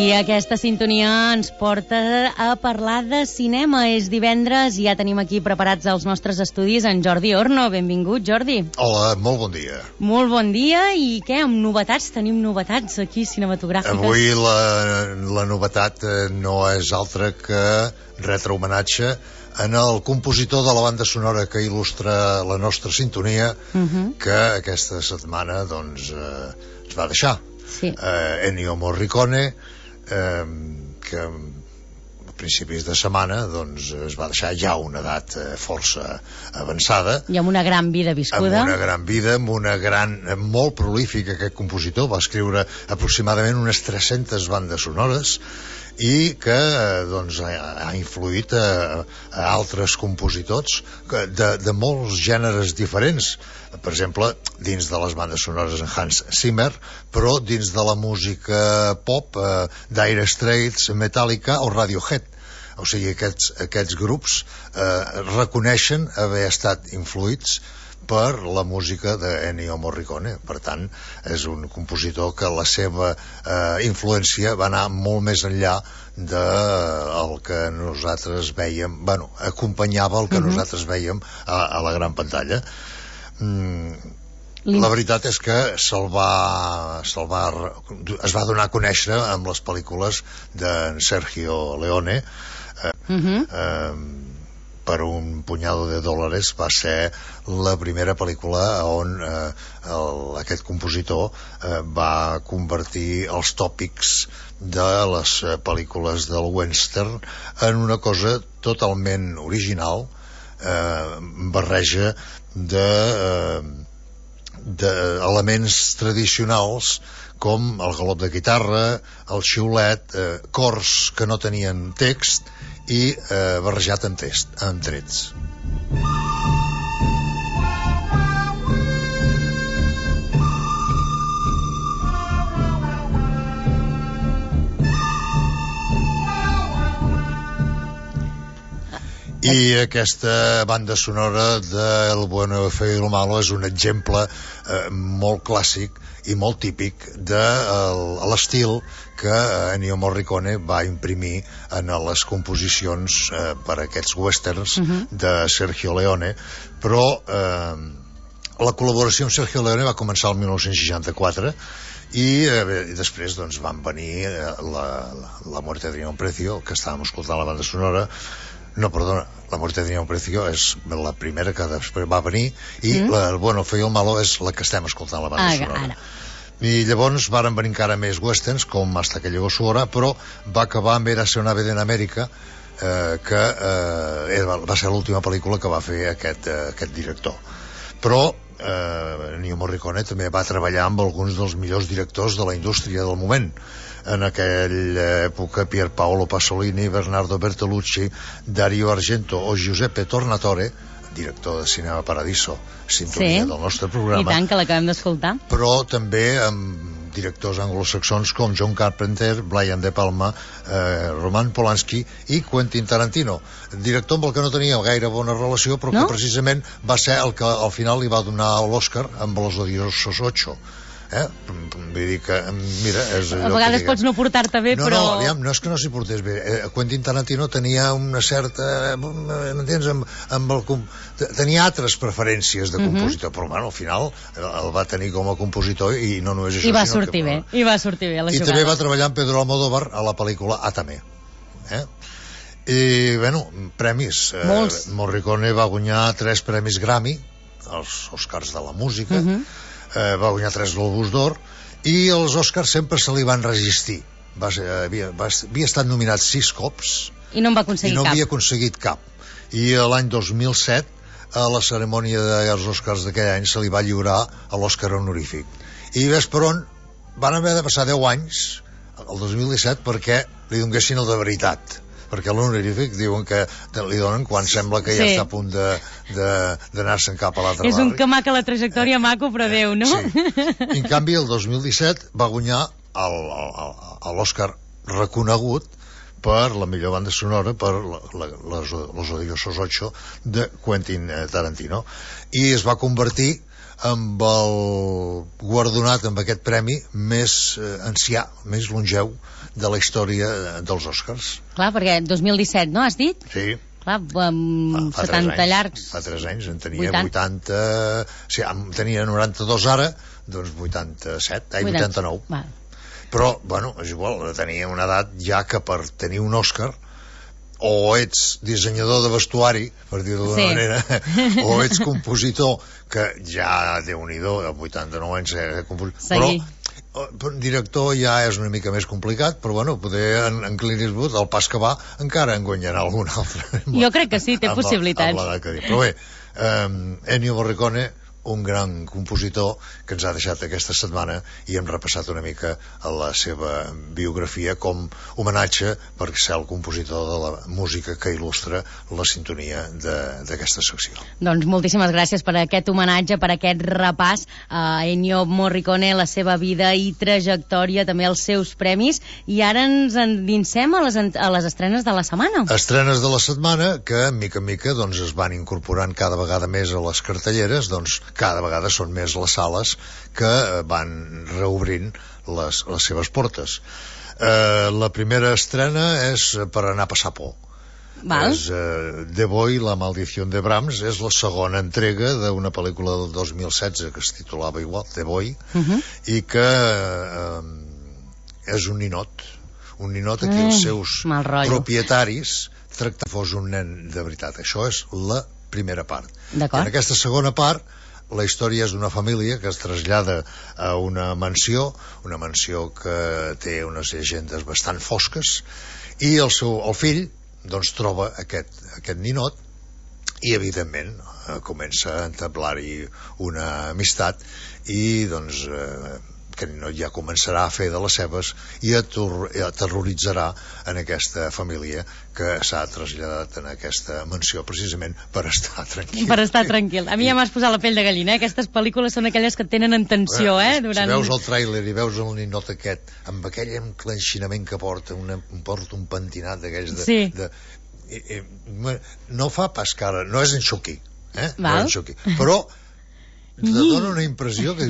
I aquesta sintonia ens porta a parlar de cinema. És divendres i ja tenim aquí preparats els nostres estudis en Jordi Orno. Benvingut, Jordi. Hola, molt bon dia. Molt bon dia. I què, amb novetats? Tenim novetats aquí cinematogràfiques. Avui la novetat no és altra que retre homenatge en el compositor de la banda sonora que il·lustra la nostra sintonia, que aquesta setmana doncs ens va deixar. Sí. Ennio Morricone, que a principis de setmana doncs es va deixar ja a una edat força avançada. I amb una gran vida viscuda. Amb una gran vida, molt prolífic aquest compositor, va escriure aproximadament unes 300 bandes sonores i que doncs ha influït a altres compositors de molts gèneres diferents. Per exemple, dins de les bandes sonores en Hans Zimmer, però dins de la música pop, Dire Straits, Metallica o Radiohead. O sigui, aquests grups reconeixen haver estat influïts per la música d'Ennio Morricone. Per tant, és un compositor que la seva influència va anar molt més enllà del que nosaltres vèiem, acompanyava el que nosaltres vèiem a la gran pantalla. La veritat és que es va donar a conèixer amb les pel·lícules d'en Sergio Leone. Per un punyado de dòlares va ser la primera pel·lícula on aquest compositor va convertir els tòpics de les pel·lícules del western en una cosa totalment original, barreja d'elements tradicionals com el galop de guitarra, el xiulet, cors que no tenien text i barrejat amb trets. I aquesta banda sonora de El bueno, el feo y lo malo és un exemple molt clàssic i molt típic de l'estil que Ennio Morricone va imprimir en les composicions per a aquests westerns de Sergio Leone. Però la col·laboració amb Sergio Leone va començar el 1964 i després doncs van venir La muerte tenía un precio, que estàvem escoltant la banda sonora. No, perdona, La muerte tenía un precio és la primera que després va venir i El bueno, el feo y el malo és la que estem escoltant la banda sonora. I llavors varen venir encara més westerns com Hasta que llegó su hora, però va acabar amb Érase una vez en Amèrica, que va ser l'última pel·lícula que va fer aquest director. Però Ennio Morricone també va treballar amb alguns dels millors directors de la indústria del moment. En aquella època Pier Paolo Pasolini, Bernardo Bertolucci, Dario Argento o Giuseppe Tornatore, director de Cinema Paradiso, sintonia del nostre programa. I tant, que l'acabem d'escoltar. Però també amb directors anglosaxons com John Carpenter, Brian De Palma, Roman Polanski i Quentin Tarantino, director amb el que no tenia gaire bona relació, però que precisament va ser el que al final li va donar l'Oscar amb Los odiosos 8. Vull dir que, mira, és allò a vegades pots no portar-te bé, però... No és que no s'hi portés bé. Quentin Tarantino tenia una certa... m'entens? Tenia altres preferències de compositor, però al final el va tenir com a compositor i no només això... I va sortir bé la jugada. I també va treballar amb Pedro Almodóvar a la pel·lícula Atame. I, premis. Morricone va guanyar 3 premis Grammy, els Oscars de la música, va guanyar 3 Globus d'Or, i els Oscars sempre se li van resistir. Havia estat nominat 6 cops i no en va aconseguir cap. I no havia aconseguit cap. I l'any 2007, a la cerimònia dels Oscars d'aquell any, se li va lliurar a l'Oscar honorífic. I ves per on van haver de passar 10 anys, el 2017, perquè li donessin el de veritat. Perquè l'honorífic diuen que li donen quan sembla que ja està a punt d'anar-se'n cap a l'altre barri. És un que maca la trajectòria maco, però Déu, no? Sí. I en canvi el 2017 va guanyar l'Oscar reconegut per la millor banda sonora, per Los odiosos 8 de Quentin Tarantino, i es va convertir amb el guardonat amb aquest premi més ancià, més longeu de la història dels Oscars. Clar, perquè 2017, no, has dit? Sí. Clar, 70 llargs. Fa 3 anys, en tenia 80... Sí, tenia 92 ara, doncs 89. Va. Però, bueno, és igual, tenia una edat ja que per tenir un Òscar o ets dissenyador de vestuari, per dir-ho d'una manera, o ets compositor, que ja, Déu-n'hi-do, a 89 anys però director ja és una mica més complicat, però bueno, poder en Clint Eastwood, el pas que va, encara en guanyarà algun altre. Jo crec que sí, té possibilitats. Però bé, Ennio Morricone, un gran compositor que ens ha deixat aquesta setmana, i hem repassat una mica a la seva biografia com homenatge per ser el compositor de la música que il·lustra la sintonia d'aquesta secció. Doncs moltíssimes gràcies per aquest homenatge, per aquest repàs a Ennio Morricone, la seva vida i trajectòria, també els seus premis, i ara ens endinsem a les estrenes de la setmana. Estrenes de la setmana que, mica en mica, doncs, es van incorporant cada vegada més a les cartelleres, doncs cada vegada són més les sales que van reobrint les seves portes. La primera estrena és per anar a passar por. És The Boy, la maldición de Brahms. És la segona entrega d'una pel·lícula del 2016 que es titulava igual, The Boy, i que és un ninot a qui els seus propietaris tracten com fos un nen de veritat. Això és la primera part. I en aquesta segona part la història és d'una família que es trasllada a una mansió que té unes llegendes bastant fosques, i el fill doncs troba aquest ninot i evidentment comença a entablar-hi una amistat, i doncs que no ja començarà a fer de les seves i aterroritzarà en aquesta família que s'ha traslladat en aquesta mansió precisament per estar tranquil. Per estar tranquil. A mi ja m'has posat la pell de gallina, Aquestes pel·lícules són aquelles que tenen en tensió, Si veus el tràiler i veus el ninot aquest, amb aquell enclenxinament que porta, un pentinat d'aquells no fa pas cara, no és en Chucky, no és en Chucky, però te dona una impressió que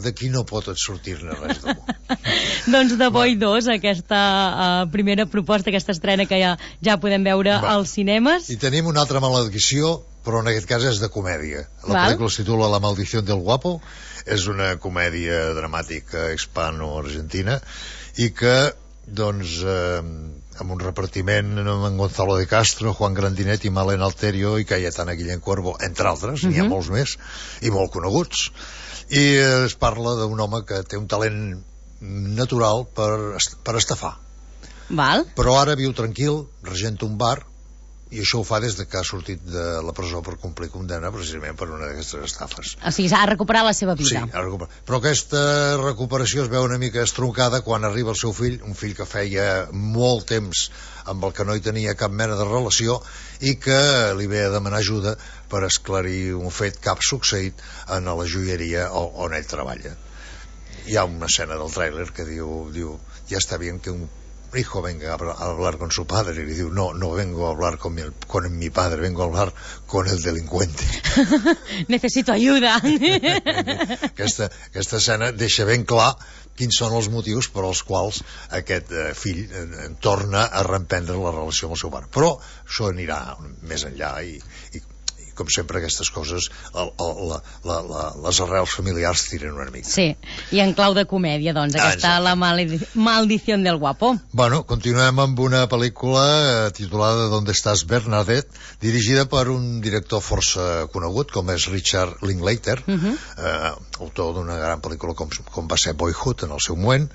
d'aquí no pot sortir-ne res de bo. Doncs The Boy 2, aquesta primera proposta, aquesta estrena que ja podem veure als cinemes. I tenim una altra maledicció, però en aquest cas és de comèdia. La pel·lícula es titula La maldición del guapo, és una comèdia dramàtica hispano-argentina, i que doncs amb un repartiment amb Gonzalo de Castro, Juan Grandinetti, Malena Alterio i Cayetana Guillén Cuervo, entre altres, n'hi ha molts més i molt coneguts, i es parla d'un home que té un talent natural per estafar. Però ara viu tranquil, regenta un bar, i això ho fa des que ha sortit de la presó per complir condemna precisament per una d'aquestes estafes. O sigui, ha recuperat la seva vida. Sí, ha recuperat. Però aquesta recuperació es veu una mica estroncada quan arriba el seu fill, un fill que feia molt temps amb el que no hi tenia cap mena de relació, i que li ve a demanar ajuda per esclarir un fet que ha succeït en la joieria on ell treballa. Hi ha una escena del tràiler que diu ja està bien que un hijo venga a hablar con su padre, y le digo, no vengo a hablar con mi padre, vengo a hablar con el delincuente. Necesito ayuda. Aquesta escena deixa ben clar quins són els motius per als quals aquest fill torna a reemprendre la relació amb el seu pare. Però això anirà més enllà, i com sempre aquestes coses les arrels familiars tiren una mica. Sí, i en clau de comèdia, doncs, aquesta La maldición del guapo. Bueno, continuem amb una pel·lícula titulada ¿Dónde estás, Bernadette?, dirigida per un director força conegut com és Richard Linklater, autor d'una gran pel·lícula com va ser Boyhood en el seu moment,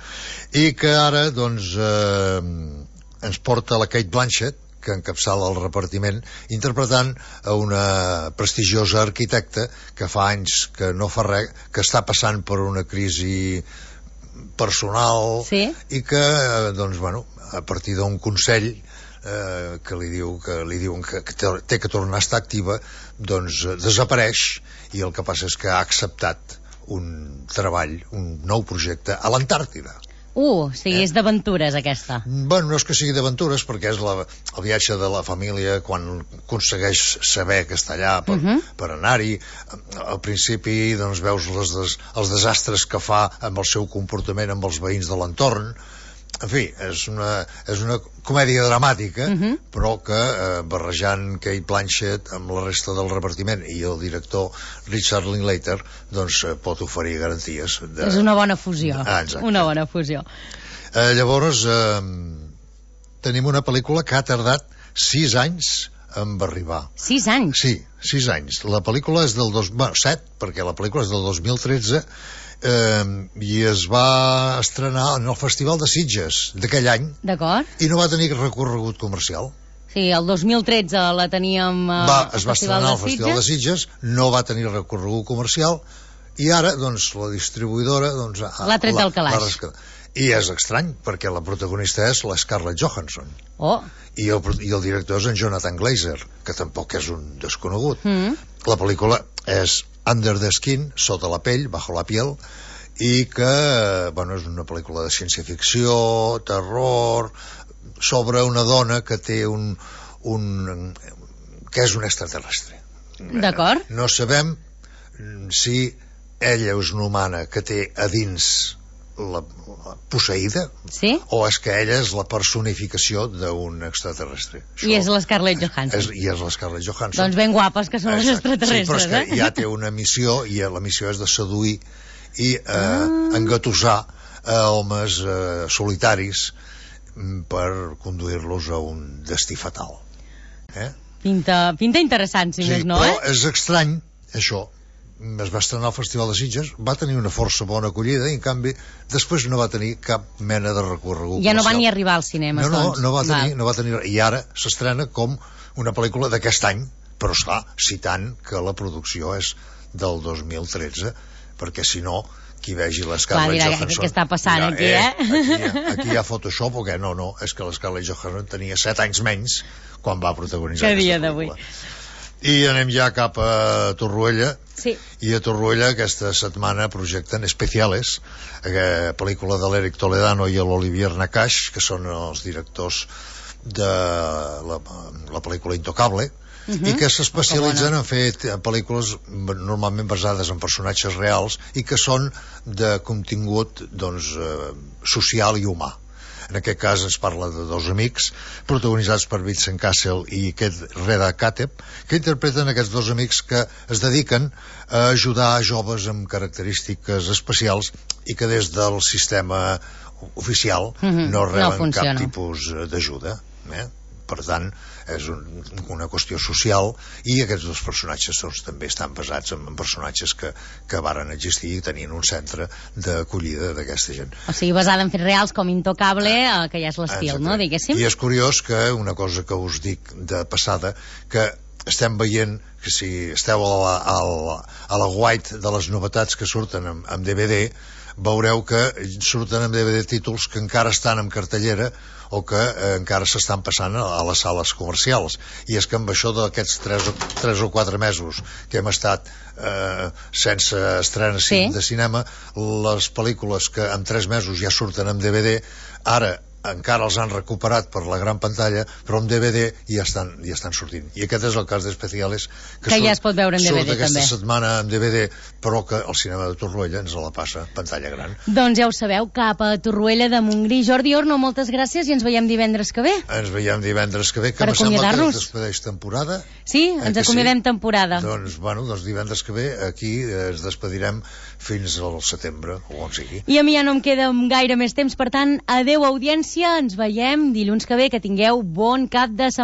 i que ara doncs ens porta la Cate Blanchett, que encapçala el repartiment, interpretant a una prestigiosa arquitecta que fa anys que no fa res, que està passant per una crisi personal, i que doncs, bueno, a partir d'un consell que li diuen que té que tornar a estar activa, doncs desapareix, i el que passa és que ha acceptat un treball, un nou projecte a l'Antàrtida. O sigui, és d'aventures, aquesta. Bueno, no és que sigui d'aventures, perquè és el viatge de la família quan aconsegueix saber que està allà per anar-hi. Al principi doncs, veus els desastres que fa amb el seu comportament amb els veïns de l'entorn. En fi, és una comèdia dramàtica, però que barrejant Kate Blanchett amb la resta del repartiment i el director Richard Linklater doncs pot oferir garanties és una bona fusió. Una bona fusió. Llavors tenim una pel·lícula que ha tardat 6 anys en arribar. 6 anys? Sí, 6 anys. La pel·lícula és del 7, perquè la pel·lícula és del 2013 i es va estrenar en el Festival de Sitges d'aquell any. D'acord. I no va tenir recorregut comercial. Sí, el 2013 la teníem es va estrenar al Festival de Sitges, no va tenir recorregut comercial i ara, doncs, la distribuïdora l'ha tret del calaix. I és estrany, perquè la protagonista és la Scarlett Johansson. I el director és en Jonathan Glazer, que tampoc és un desconegut. La pel·lícula és Under the Skin, sota la pell, bajo la piel, i que és una pel·lícula de ciència-ficció, terror, sobre una dona que té que és un extraterrestre. D'acord. No sabem si ella és una humana que té a dins la posseïda, o és que ella és la personificació d'un extraterrestre. I és la Scarlett Johansson. I és la Scarlett Johansson. Doncs ben guapes que són les extraterrestres. Sí, però és que ja té una missió, i la missió és de seduir i engatussar homes solitaris per conduir-los a un destí fatal. Pinta interessant, si més no, però és estrany, això. Es va estrenar al Festival de Sitges, va tenir una força bona acollida i en canvi després no va tenir cap mena de recorregut. Ja no va ni arribar als cinemes, doncs. No va tenir, i ara s'estrena com una pel·lícula d'aquest any, però esclar, citant que la producció és del 2013, perquè si no, qui vegi la Scarlett Johansson... Què està passant aquí, Aquí hi ha Photoshop o què? No, és que la Scarlett Johansson tenia 7 anys menys quan va protagonitzar aquesta pel·lícula. I anem ja cap a Torroella. Sí. I a Torroella aquesta setmana projecten Especiales, pel·lícula de l'Eric Toledano i l'Olivier Nakash, que són els directors de la pel·lícula Intocable, i que s'especialitzen en fer pel·lícules normalment basades en personatges reals i que són de contingut social i humà. En aquest cas ens parla de dos amics protagonitzats per Vincent Cassel i Reda Kateb, que interpreten aquests dos amics que es dediquen a ajudar a joves amb característiques especials i que des del sistema oficial no reben cap tipus d'ajuda. Per tant, és una qüestió social, i aquests dos personatges també estan basats en personatges que varen existir i tenien un centre d'acollida d'aquesta gent. O sigui, basada en fets reals com Intocable, que ja és l'estil, no? Diguéssim. I és curiós que una cosa que us dic de passada, que estem veient que si esteu a la guait de les novetats que surten en DVD, veureu que surten en DVD títols que encara estan en cartellera o que encara s'estan passant a les sales comercials. I és que amb això d'aquests 3 o 4 mesos que hem estat sense estrenes de cinema, les pel·lícules que en 3 mesos ja surten en DVD, ara encara els han recuperat per la gran pantalla, però en DVD ja estan sortint. I aquest és el cas d'Especiales, que ja es pot veure en DVD surt aquesta també. setmana en DVD, però que el cinema de Torroella ens la passa pantalla gran. Doncs ja ho sabeu, cap a Torroella de Montgrí. Jordi Orno, moltes gràcies i ens veiem divendres que ve. Ens veiem divendres que ve, que per me sembla que es despedeix temporada. Sí, ens acomiadem temporada. Doncs divendres que ve aquí ens despedirem fins al setembre, o on sigui. I a mi ja no em queda gaire més temps, per tant, adeu audiència, ens veiem dilluns que ve, que tingueu bon cap de setmana.